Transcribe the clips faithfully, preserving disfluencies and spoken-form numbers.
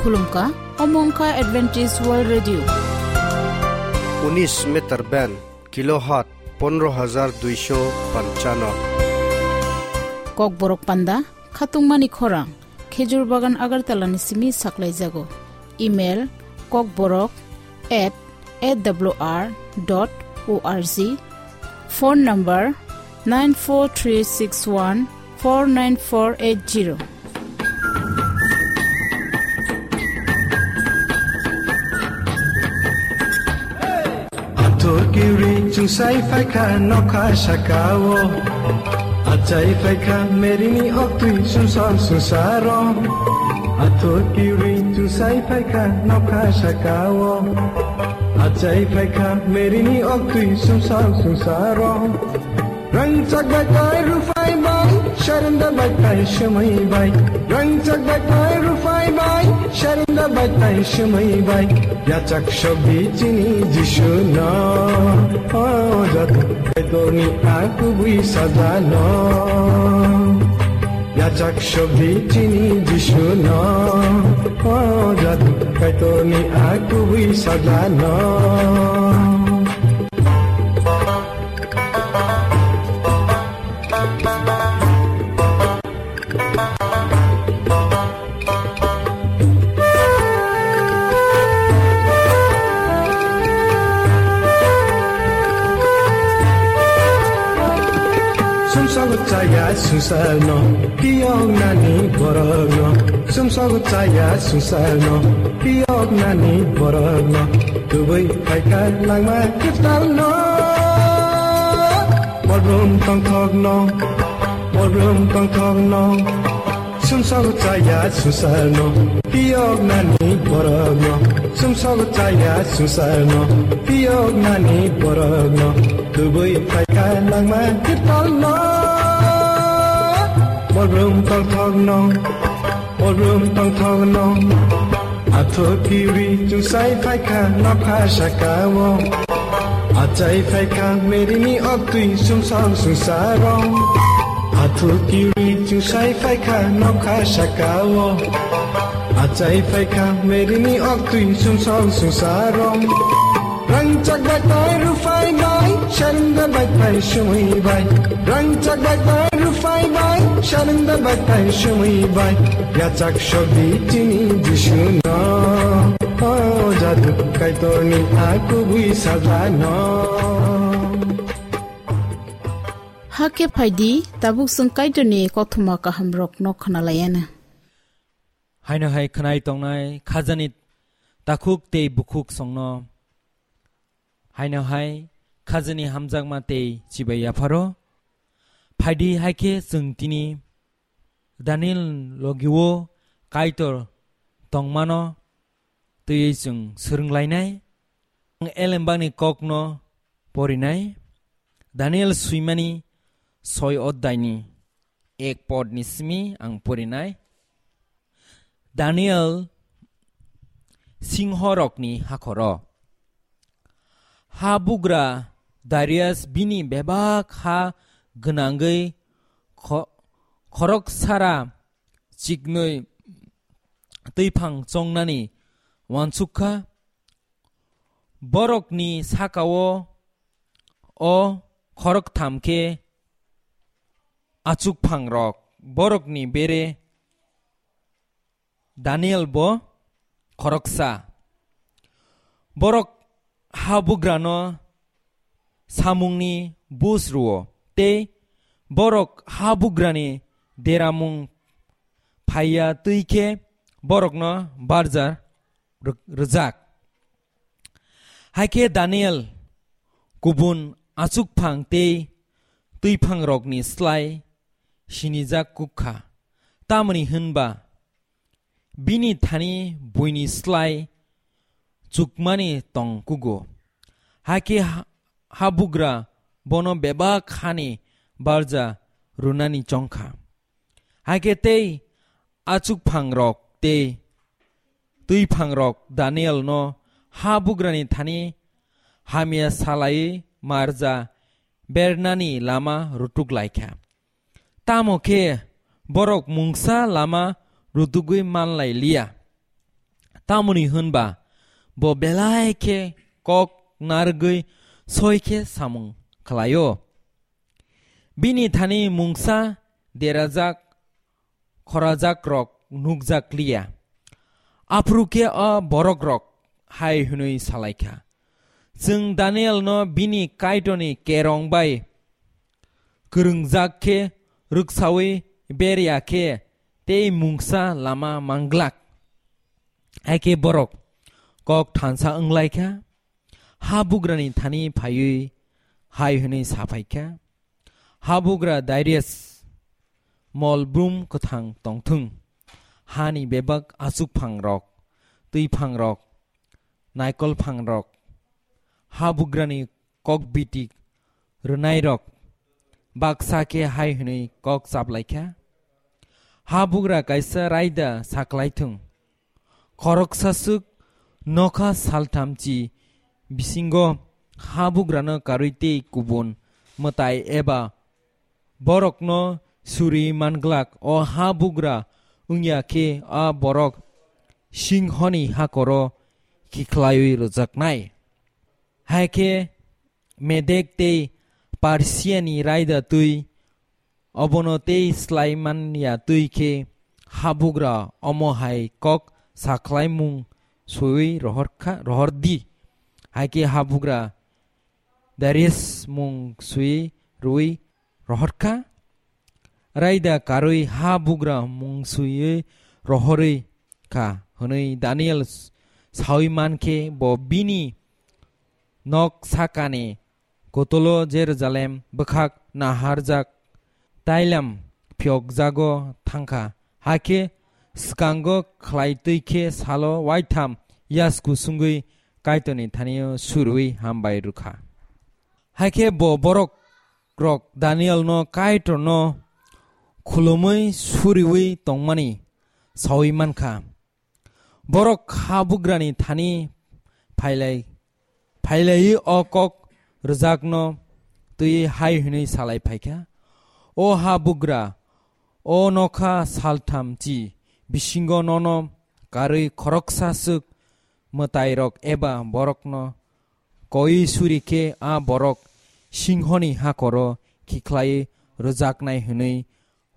Khulumkha, omo wngkha Adventist World Radio. Unis meter band, kilohertz pondro hajar duisho panchano. Kokborok panda, khatungmani khorang, Khejur Bagan Agartala ni simi saklaijago. Email, kokborok at A W R dot O R G. Phone number nine four three six one four nine four eight zero. Athukiri chungsai phaikha nokha sakao. Achai phaikha merini oktwi sumsok sumsaro. Athukiri chungsai phaikha nokha sakao. Achai phaikha merini oktwi sumsok sumsaro. Rangchak bai tai ruphai bai, sharenda bai tai swmai bai. Rangchak bai tai ruphai bai, sharenda bai tai swmai bai. Yachak sogdi chini Jisu no, o jadu kaitorni a kubui saja no. Yachak sogdi chini Jisu no, o jadu kaitorni a kubui saja no. Sumsok chaya sumsal no, kiyok nani borok no. Sumsok chaya sumsal no, kiyok nani borok no. Tubui phaikha langma kwtal no. Modrum tongthok no, modrum tongthok no. Sumsok chaya sumsal no, kiyok nani borok no. Sumsok chaya sumsal no, kiyok nani borok no. Tubui phaikha langma kwtal no. Modrum tongthok no, modrum tongthok no. Athukiri chungsai phaikha nokha sakao. Achai phaikha merini oktwi sumsok sumsaro. Athukiri chungsai phaikha nokha sakao. Achai phaikha merini oktwi sumsok sumsaro. Rangchak bai tai ruphai bai, sharenda bai tai swmai bai. Rangchak bai tai ruphai bai, sharenda bai tai swmai bai. Yachak sogdi chini Jisu no, o jadu kaitorni a kubui saja no. Hakhe phaidi, tabuk chwng Kaitorni kothoma kahamrokno khwnalayana. Haino hai khwnai tongnai khajani takhuk tei bukhuk songno. Haino hai khajani hamjakma tei chibai yapharo. Phaidi hai khe chwng tini Daniel logio Kaitor tongmano twiwi chwng swrwnglainai. Ang elembakni kokno porinai. Daniel swimani soi oddaini ek podni simi ang porinai. Daniel singhorokni hakhoro. Ha bugra Darius bini bebak ha gwnangwi kho-, khorok sara chiknwi twiphang chongnani wansuk kha. Borokni sakao o khoroktham khe achukphangrok, borokni bere Daniel bo khoroksa. Borok habugrano samungni bus rwo, tei borok habugrani deramung phaiya twi khe borokno barja rw-, rwjak. Hai khe Daniel kubun achukphang tei twiphangrokni slai sinijak kuk kha, tamoni hwn ba bini thani buini slai chukmani tong kugo. Hai khe ha-, habugra bono bebak hani barja rwnani chong kha. Hai khe tei achukphangrok tei twiphangrok Danielno habugrani thani hamya salaiwi marja bernani lama rutuk lai kha. Tamo khe borok mungsa lama rutugwi man lai liya. Tamoni hwn ba bo belai khe kok narwgwi soi khe samung khlai-o. Bini thani mungsa derajak khorajakrok nukjak liya. Aphuru khe a borokrok hai hwnwi sa lai kha, "Chwng Danielno bini Kaitorni kerong bai kwrwngjak khe rwksaui ber ya khe tei mungsa lama man glak." Hai khe borok kok thansa wng lai kha, habugrani thani phaiwi hai hwnwi sa phai kha, "Habugra Darius, mol brum kwthang tong thung. Hani bebak achuk phangrok, twi phangrok, naikol phangrok, habugrani kok bitik rwnairok baksa khe hai hwnwi kok chap lai kha, 'Habugra kaisa raida sa klai thung. Khoroksa swk nokha salthamchi bisingo habugrano karwi tei kubun mwtai eba borokno suri man glak. O habugra wng ya khe a borok singhoni hakoro khiklaiwi rwjaknai.' Hai khe Medek tei Persiani raida twi obono tei slai man ya twi khe habugra omo hai kok sa khlaimung swiwi rohor kha, rohor di. Hai khe habugra Darius mung swiwi rwui rohor kha, raida karwi habugra mung swiwi rohorwi kha hwnwi Daniel saui man khe bo bini nok sakani kotolo Jerusalem bwkhak naharjak tailam phiyokjago thangkha. Hakhe swkango khlai twi khe salo waitham yasku sungwi Kaitorni thanio surwi hambai rwkha. Hakhe bo borok rok Danielno Kaitorno khulumwi suriwi tongmani saui mankha. Borok habugrani thani phailai, phailaiwi o kok rwjakno twi hai hwnwi salai phaikha, "O habugra, o nokha saltham chi bisingo nono karwi khoroksa swk mwtairok eba borokno koi suri khe a borok singhoni hakoro khikhlai rwjaknai hwnwi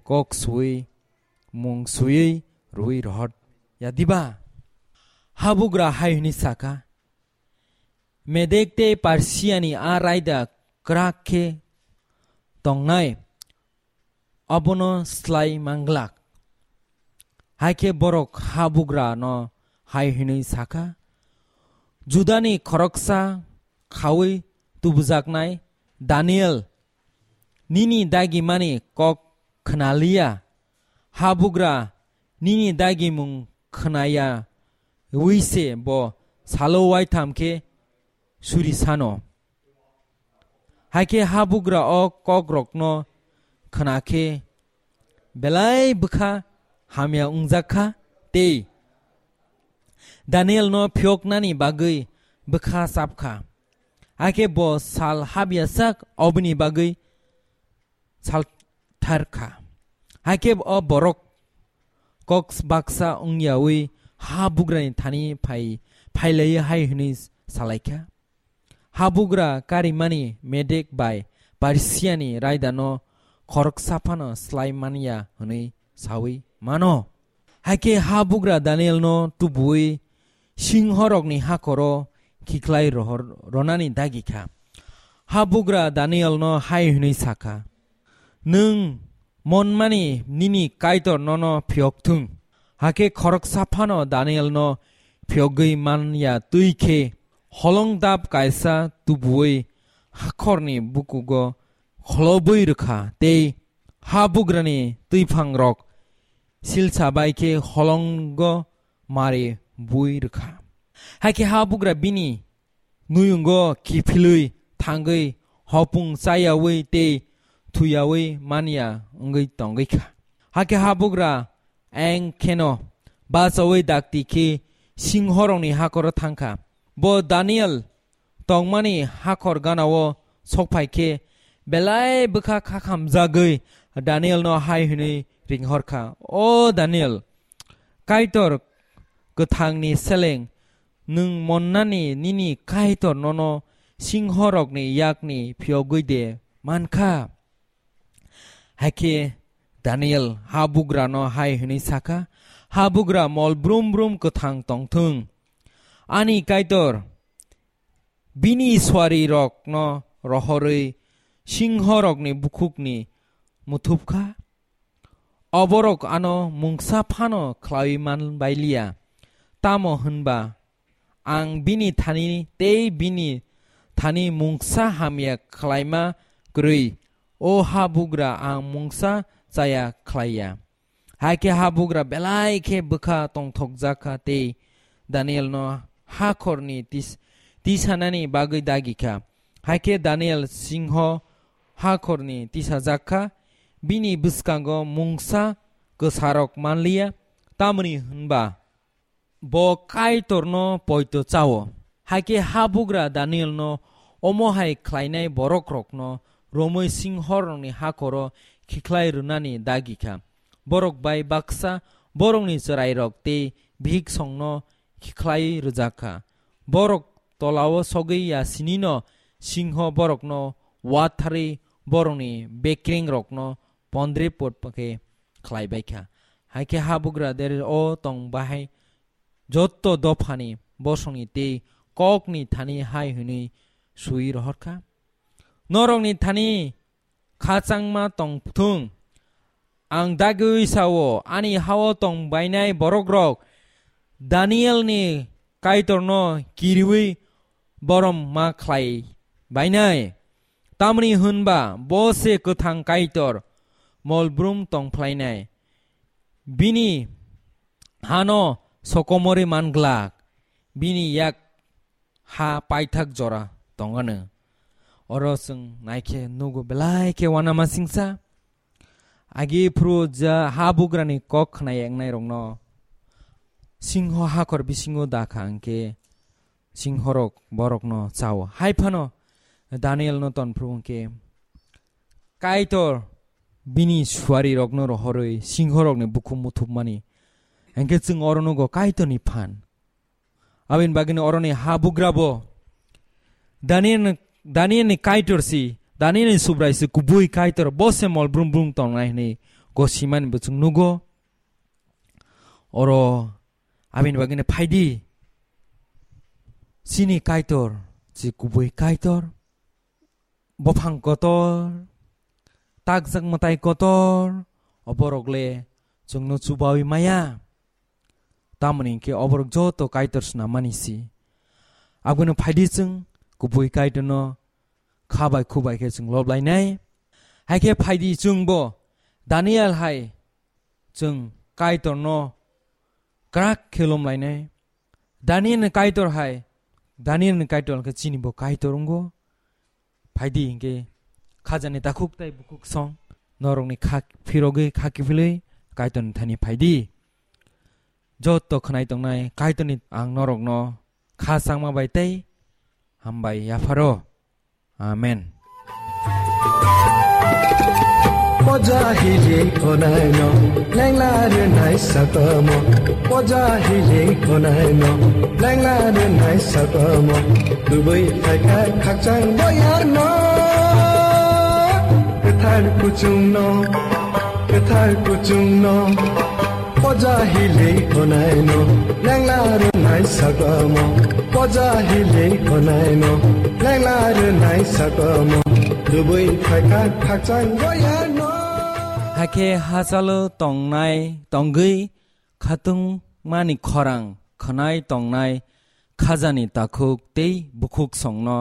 kok sui mung sui rwi rohor ya diba?" Habugra hai hwnwi sakha, "Medek tei Persiani a raida kwrak khe tongnai, abono slai manglak." Hai khe borok habugrano hai hwnwi sakha, "Judani khoroksa khaui tubujaknai Daniel, nini dagimani kok khnaliya, habugra nini dagimung khnaya wi se bo salo waitham khe suri sano." Hai khe habugra o kokrokno khna khe belai bwkha hamya wngjak kha tei Danielno phiyoknani bagwi bwkha chap kha. Hai khe bo sal habya sak oboni bagwi salthar kha. Hai khe o borok kok baksa wng yaui habugrani thani phai, phailaiwi hai hwnwi salai kha, "Habugra karimani Medek bai Persiani raidano khoroksa phano slai man ya hwnwi saui mano." Hai khe habugra Danielno tubuui singhorokni hakoro khiklai rohor ronani dagi kha. Habugra Danielno hai hwnwi sa kha, "Nwng monmani nini Kaitor nono phiyok thung." Hakhe khoroksa phano Danielno phiyogwi man ya twi khe holong dap kaisa tubuui hakhorni bukugo kholobwi rwkha tei habugrani twiphangrok silsa bai khe holongo mari bui rwkha. Hai khe habugra bini nuyungo kiphilwi thangwi hopung chayaui tei thuyaui manya wngwi tongwi kha. Hakhe habugra eng kheno bachaui dakti khe singhorokni hakoro thangkha. Bo Daniel tongmani hakhor ganao sokphai khe belai bwkha khakhamjagwi Danielno hai hwnwi ringhor kha, "O Daniel, Kaitor kwthangni seleng nwng monnani nini Kaitor nono singhorokni yakni phiyogwi de man kha? Hai khe Daniel habugrano hai hwnwi sa kha, "Habugra mol brum brum kwthang tong thung. Ani Kaitor bini suarirokno rohorwi singhorokni bukhukni muthup kha. Oborok ano mungsa phano khlaiwi man bai liya, tamo hwnba ang bini thani tei bini thani mungsa hamya khlaima kwrwi, o habugra, ang mungsa chaya khlai ya." Hai khe habugra belai khe bwkha tongthokjak kha tei Danielno hakhorni tis-, tisanani bagwi dagi kha. Hai khe Daniel singho hakhorni tisajak kha, bini bwskango mungsa kwsarok man liya, tamoni hwnba bo Kaitorno poito chao. Hai khe habugra Danielno omo hai khlainai borokrokno romwi singhorokni hakhoro khikhlai rwnani dagi kha. Borok bai baksa borokni chwrairok tei bihiksongno khikhlai rwjak kha. Borok tolao sogwi ya sinino singho borokno watharwi borokni bekrengrokno pondre pot khe khlai bai kha. Hai khe habugra der o tong bahai jotto dophani bosongni tei kokni thani hai hwnwi sui rohor kha, "Norokni thani khachangma tong thung. Ang dagwi sao, ani hao tong bainai borokrok Danielni Kaitorno kiriwi borom ma khlai bainai. Tamni hwnba bo se kwthang Kaitor, mol brum tong phlainai. Bini hano sokomorwi man glak, bini yak ha paithak jora tongano." Oro chwng naikhe nugo belai khe uanama singsa. Agi phuru ja habugrani kok khna yeknairokno singho hakhor bisingo da kha hwnkhe singhorok borokno chao. Hai phano Danielno tonphru hwnkhe Kaitor bini suarirokno rohorwi singhorokni bukhuk muthupmani. Hwnkhe chwng oro nugo Kaitorni phan. Aboni bagwino oroni habugrabo Daniel, Danielni Kaitor si, Danielni Subrai si kubui Kaitor, bo se mol brum brum tongnai hwnwi gosimani bo chwng nugo. Oro aboni bagwino phaidi, chini Kaitor si kubui Kaitor. Buphang kotor, takjak mwtai kotor, oborok le chwngno chubawi maya. Tamoni hwnkhe oborok joto Kaitor swnamani si. Abono phaidi chwng kubui Kaitorno kha bai khu bai khe chwng lob lainai. Hai khe phaidi chwngbo Daniel hai chwng Kaitorno kwrak khe lom lainai. Danielni Kaitor hai, Danielni Kaitor khe chini bo Kaitor wngo. Phaidi hwnkhe khajani takhuk tei bukhuk song norokni kha phirogwi kha kiphilwi Kaitorni thani phaidi. Joto khwnai tongnai Kaitorni ang norokno kha changma bai tei hambai yapharo. Amen. Poja hili khonai no, lengla rinai sakamo. Poja hili khonai no, lengla rinai sakamo. Dubai thaika khakchang boyar no, kethar kuchung no, kethar kuchung no. Poja hili khonai no, lengla rinai sakamo. Poja hili khonai no, lengla rinai sakamo. Dubai thaika khakchang boyar no. Hakhe hachalo tongnai, tongwi khatungmani khorang khwnai tongnai khajani takhuk tei bukhuk songno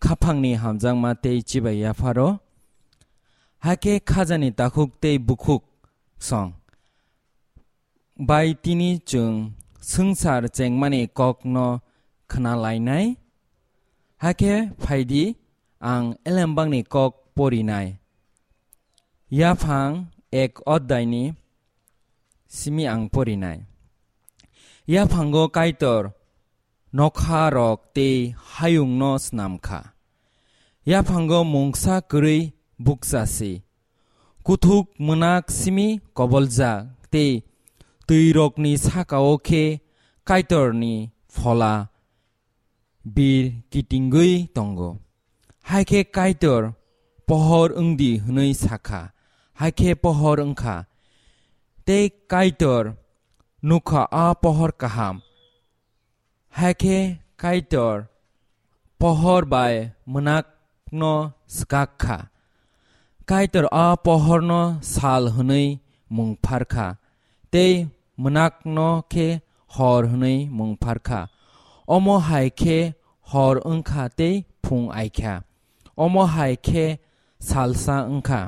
khaphangni hamjakma tei chibai yapharo. Hakhe khajani takhuk tei bukhuk song bai tini chwng swngchar chengmani kokno khna lainai. Hakhe phaidi, ang elembakni kok porinai. Yaphang ek oddaini simi ang porinai. Yaphango Kaitor nokha rok tei hayung no snam kha. Yaphango mungsa kwrwi bukcha si. Kuthuk mwnak simi koboljak tei twi rokni saka o khe Kaitorni phola bir kitingwi tongo. Hai khe Kaitor, "Pohor wng di," hwnwi sa kha. Hai khe pohor wng kha. Tei Kaitor nuk kha a pohor kaham. Hai khe Kaitor pohor bai mwnakno swkak kha. Kaitor a pohorno sal hwnwi mung phar kha, tei mwnakno khe hor hwnwi mung phar kha. Omo hai khe hor wng kha tei phung ai kha. Omo hai khe salsa wng kha.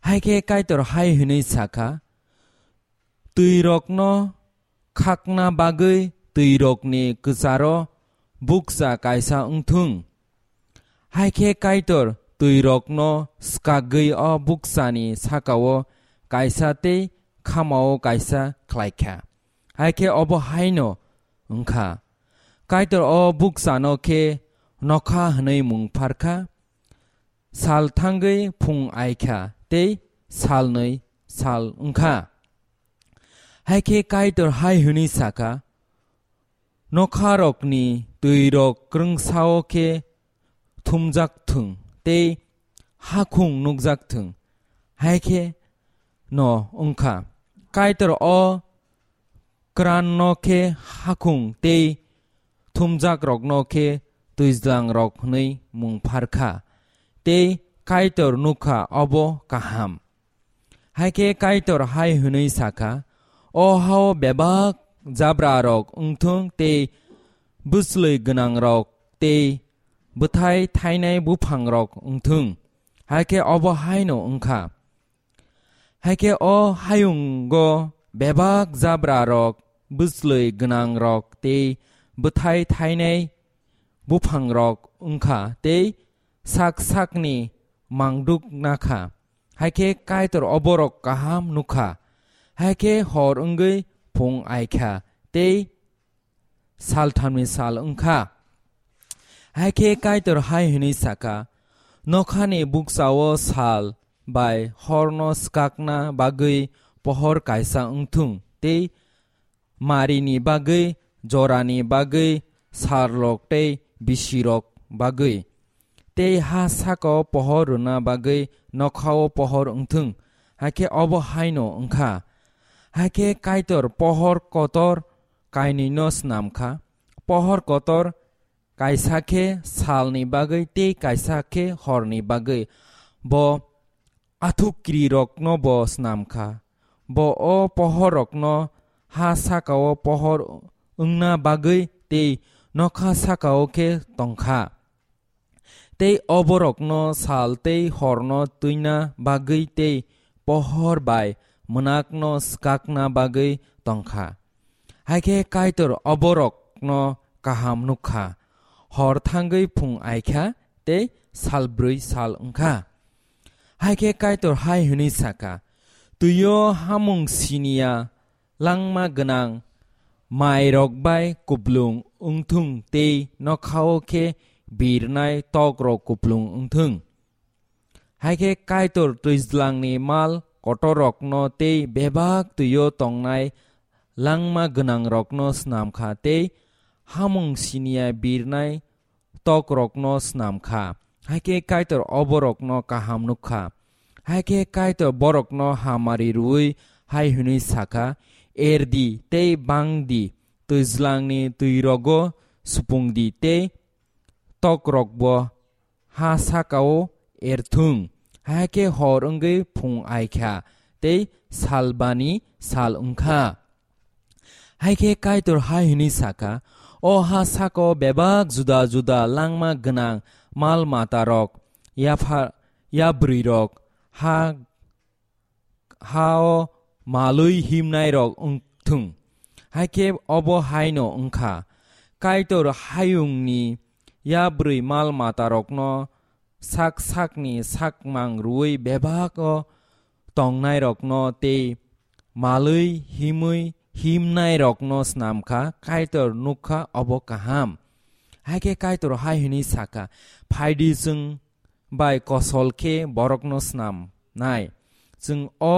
Hai khe Kaitor hai hwnwi sa kha, "Twirokno khakna bagwi twirokni kwcharo bukcha kaisa wng thung." Hai khe Kaitor twirokno swkagwi o bukchani sakao kaisa tei khamao kaisa khlai kha. Hai khe obo haino wng kha. Kaitor o bukchano khe nokha hwnwi mung phar kha. Sal thangwi phung ai kha tei salnwi sal wng kha. Hai khe Kaitor hai hwnwi sa kha, "Nokharokni twirok kwrwngsao khe thumjak thung tei hakhung nukjak thung." Hai khe no wng kha. Kaitor o kwranno khe hakhung tei thumjakrokno khe twijlangrok hwnwi mung phar kha, tei Kaitor nuk kha obo kaham. Hai khe Kaitor hai hwnwi sa kha, "O hao bebak jabrarok wng thung tei bwslwi gwnangrok tei bwthai thainai buphangrok wng thung." Hai khe obo haino wng kha. Hai khe o hayungo bebak jabrarok, bwslwi gwnangrok tei bwthai thainai buphangrok wng kha tei sak sakni mangduk na kha. Hai khe Kaitor oborok kaham nuk kha. Hai khe hor wngwi phung ai kha tei salthamni sal wng kha. Hai khe Kaitor hai hwnwi sa kha, "Nokhani bukchao sal bai horno swkakna bagwi pohor kaisa wng thung tei marini bagwi, jorani bagwi, sarlok tei bisirok bagwi. Tei ha sakao pohor rwna bagwi nokhao pohor wng thung." Hai khe obo haino wng kha. Hai khe Kaitor pohor kotor kainwino snam kha. Pohor kotor kaisa khe salni bagwi tei kaisa khe horni bagwi. Bo athukrirokno bo snam kha. Bo o pohorrokno ha sakao pohor wngna bagwi tei nokha sakao khe tong kha. Tei oborokno sal tei horno twina bagwi tei pohor bai mwnakno swkakna bagwi tong kha. Hai khe Kaitor oborokno kaham nuk kha. Hor thangwi phung ai kha tei sal brwi sal wng kha. Hai khe Kaitor hai hwnwi sa kha, "Twio hamung siniya langma gwnang mairok bai kuplung wng thung tei nokhao khe birnai tokrok kuplung wng thung." Hai khe Kaitor twijlangni mal kotorrokno tei bebak twio tongnai langma gwnangrokno snam kha tei hamung siniya birnai tokrokno snam kha. Hai khe Kaitor oborokno kaham nuk kha. Hai khe Kaitor borokno hamari rwui hai hwnwi sa kha, "Er di tei bang di, twijlangni twirogo supung di tei tokrokbo ha sakao er thung." Hai khe hor wngwi phung ai kha tei salbani sal wng kha. Hai khe Kaitor hai hwnwi sa kha, "O ha sakao bebak juda juda langma gwnang mal matarok, yapha-, yabrwirok, ha, ha-o malwi himnairok wng thung." Hai khe obo haino wng kha. Kaitor hayungni yabrwi mal matarokno sak sakni sakmang rwui bebak-o tongnairokno tei malwi himwi himnairokno snam kha, Kaitor nuk kha obo kaham. Hai khe Kaitor hai hwnwi sa kha, "Phai di, chwng bai kosol khe borokno snam nai. Chwng o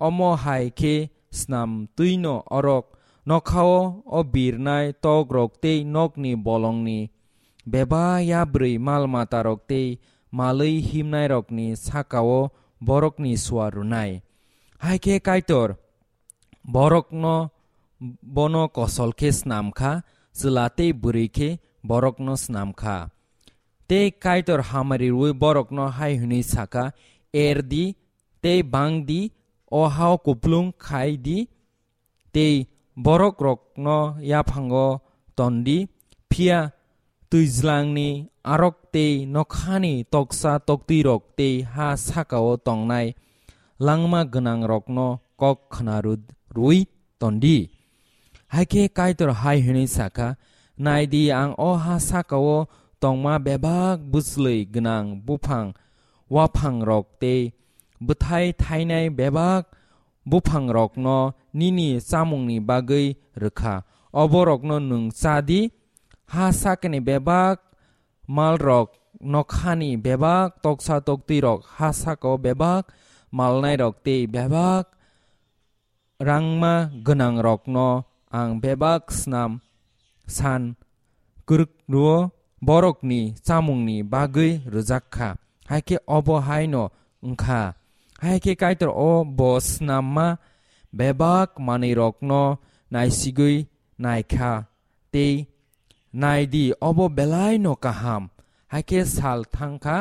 omo hai khe snam twino orok Nokhao o birnai tokrok tei nokni bolongni bebak yabrwi mal-matarok tei malwi himnairokni sakao borokni suar rwnai. Hai khe Kaitor borokno, bono kosol khe snam kha, chwla tei bwrwi khe borokno snam kha. Tei Kaitor hamari rwui borokno hai hwnwi sa kha, "Er di, tei bang di, o hao kupulung khai di, tei borokrokno yaphango ton di, phiya twijlangni arok tei nokhani toksa toktwirok tei ha sakao tongnai langma gwnangrokno kok khna rw-, rwui ton di." Hai khe Kaitor hai hwnwi sa kha, "Nai di, ang o ha sakao tongma bebak bwchlwi gwnang buphang, waphangrok tei bwthai thainai bebak buphangrokno nini chamungni bagwi rw kha. Oborokno nwng cha di, ha sakni bebak malrok, nokhani bebak toksa toktwirok, ha sakao bebak malnairok tei bebak rangma gwnangrokno ang bebak snam san kwrwk rwo borokni chamungni bagwi rwjak kha." Hai khe obo haino wng kha. Hai khe Kaitor o bo snamma bebak manwirokno naisigwi nai kha tei nai di, obo belai no kaham. Hai khe sal thang kha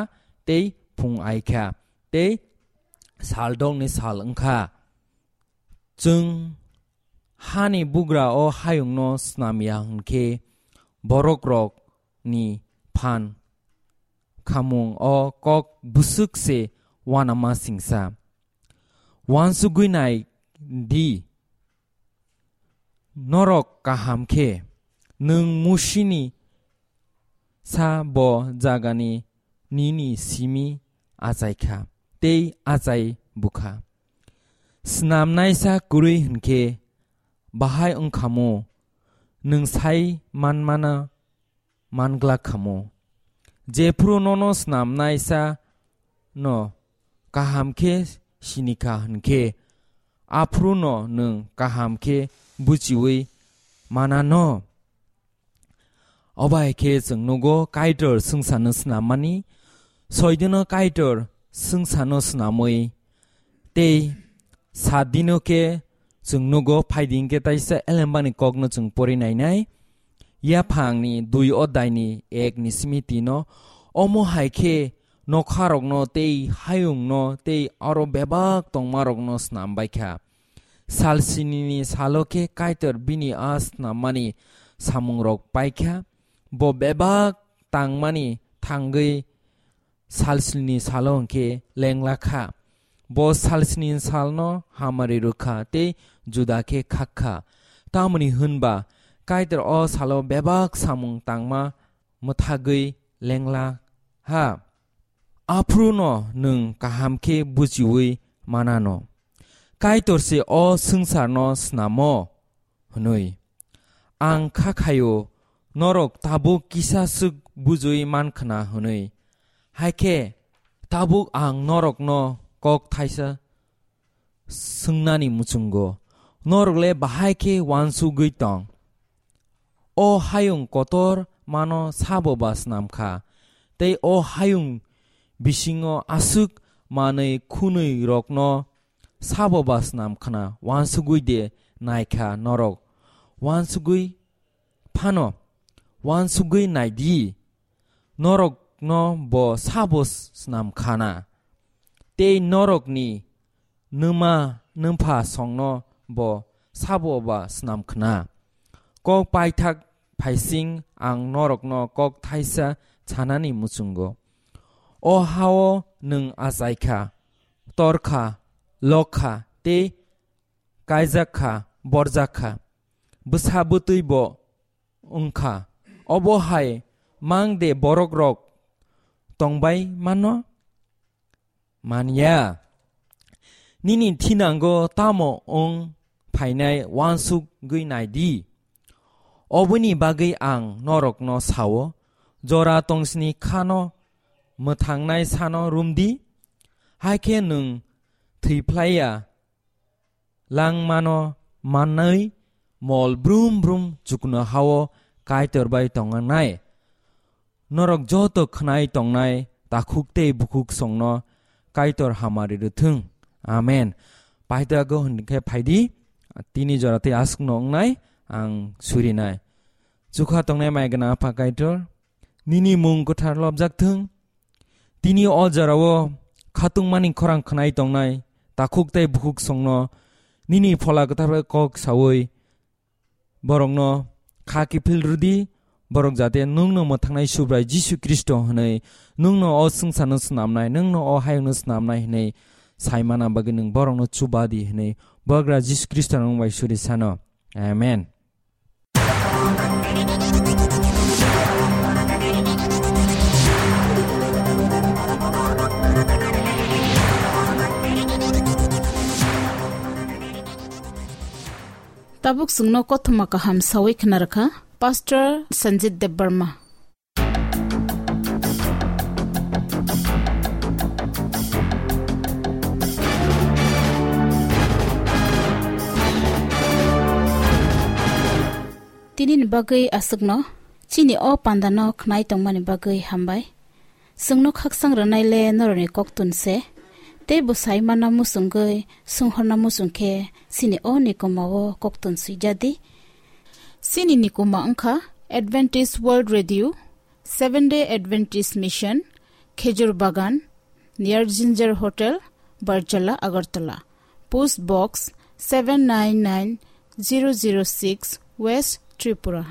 tei phung ai kha tei sal dongni sal wng kha. Chwng hani bugra o hayungno snam ya hwn khe, borokrokni phan khamung o kok bwswk se uanama singsa. Uansugwi nai di, norok kaham khe nwng Musini sa bo jagani nini simi achai kha tei achai bukha. Snamnaisa kwrwi hwnkhe bahai wngkhamu, nwng sai manmana manglak khamu. Jephru nono snamnaisa no kaham khe sinikha hwnkhe, aphru no nwng kaham khe buchiwi manano. Obo hai khe chwng nugo Kaitor swngcharno snammani, soidino Kaitor swngcharno snamwi tei saat dino khe chwng nugo phaidi hwnkhe taisa elembani kokno chwng pori nainai. Yaphangni dui oddaini ek ni simi tino, omo hai khe nokharokno tei hayungno tei aro bebak tongmarokno snam bai kha. Sal sinini salo khe Kaitor bini a snammani samungrok pai kha. Bo bebak tangmani thangwi sal sinini salo hwnkhe lengla kha. Bo sal sinini salno hamari rw kha tei juda khe khak kha. Tamoni hwn ba Kaitor o salo bebak samung tangma mwthagwi lengla ha. Aphuru no nwng kaham khe buchiwi manano. Kaitor se o swngcharno snamo hwnwi. Ang kha khaio norok tabuk kisa swk bujiwi man khna hwnwi. Hai khe tabuk ang norokno kok thaisa swngnani muchungo, norok le bahai khe uansugwi tong? O hayung kotor mano sabo ba snam kha, tei o hayung bisingo aswk manwi khunwi rokno sabo ba snam khna uansugwi de nai kha norok? Uansugwi phano uansugwi nai di, norokno bo sabo snam khana, tei norokni nwma nwmpha songno bo sabo ba snam khna. Kok paithak phaising ang norokno kok thaisa sanani muchungo. O hao nwng achai kha, tor kha, lok kha tei kaijak kha, borjak kha, bwsa bwtwi bo wng kha. Obo hai mang de borok rok tong bai mano? Man ya. Nini thinango tamo wng phainai uansugwi nai di. Oboni bagwi ang norokno sao, jora tongsini khano mwthangnai sano rum di, hai khe nwng thwi phlai ya langmano manwi mol brum brum chukno hao Kaitor bai tongnai. Norok joto khnai tongnai takhuk tei bukhuk songno Kaitor hamari rwthwng. Amen. Paithago hwnkhe phaidi, tini jora tei aswkno wngnai ang surinai. Chukha tongnai mai gwnang Apha Kaitor, nini mung kwthar lobjak thwng. Tini o jorao khatungmani khorang khnai tongnai takhuk tei bukhuk songno nini Phola Kwthar bai kok saui borokno kha kiphil rwdi, borok jate nwngno mwthangnai Subrai Jisu Khristo hwnwi, nwngno o swngcharno snamnai, nwngno o hayungno snamnai hwnwi sai mana bagwi nwng borokno chuba di hwnwi Bubagra Jisu Khristo nwng bai suri sano. Amen. Tabuk chwngno kothoma kaham sawi khna rwkha Pastor Sanjit Debbarma. Tini ni bagwi aswkno, chini o panda no khnai tongmani bagwi hambai. Chwngno khaksang rwnai le norokni koktun se, tei bo sai manna muchungwi, swnghorna muchung khe chini o nikoma o koktun swijadi. Chini nikoma wngkha Adventist World Radio, Seventh Day Adventist Mission, Khejur Bagan, near Ginger Hotel, Barjala, Agartala. Post Box seven nine nine zero zero six, West Tripura.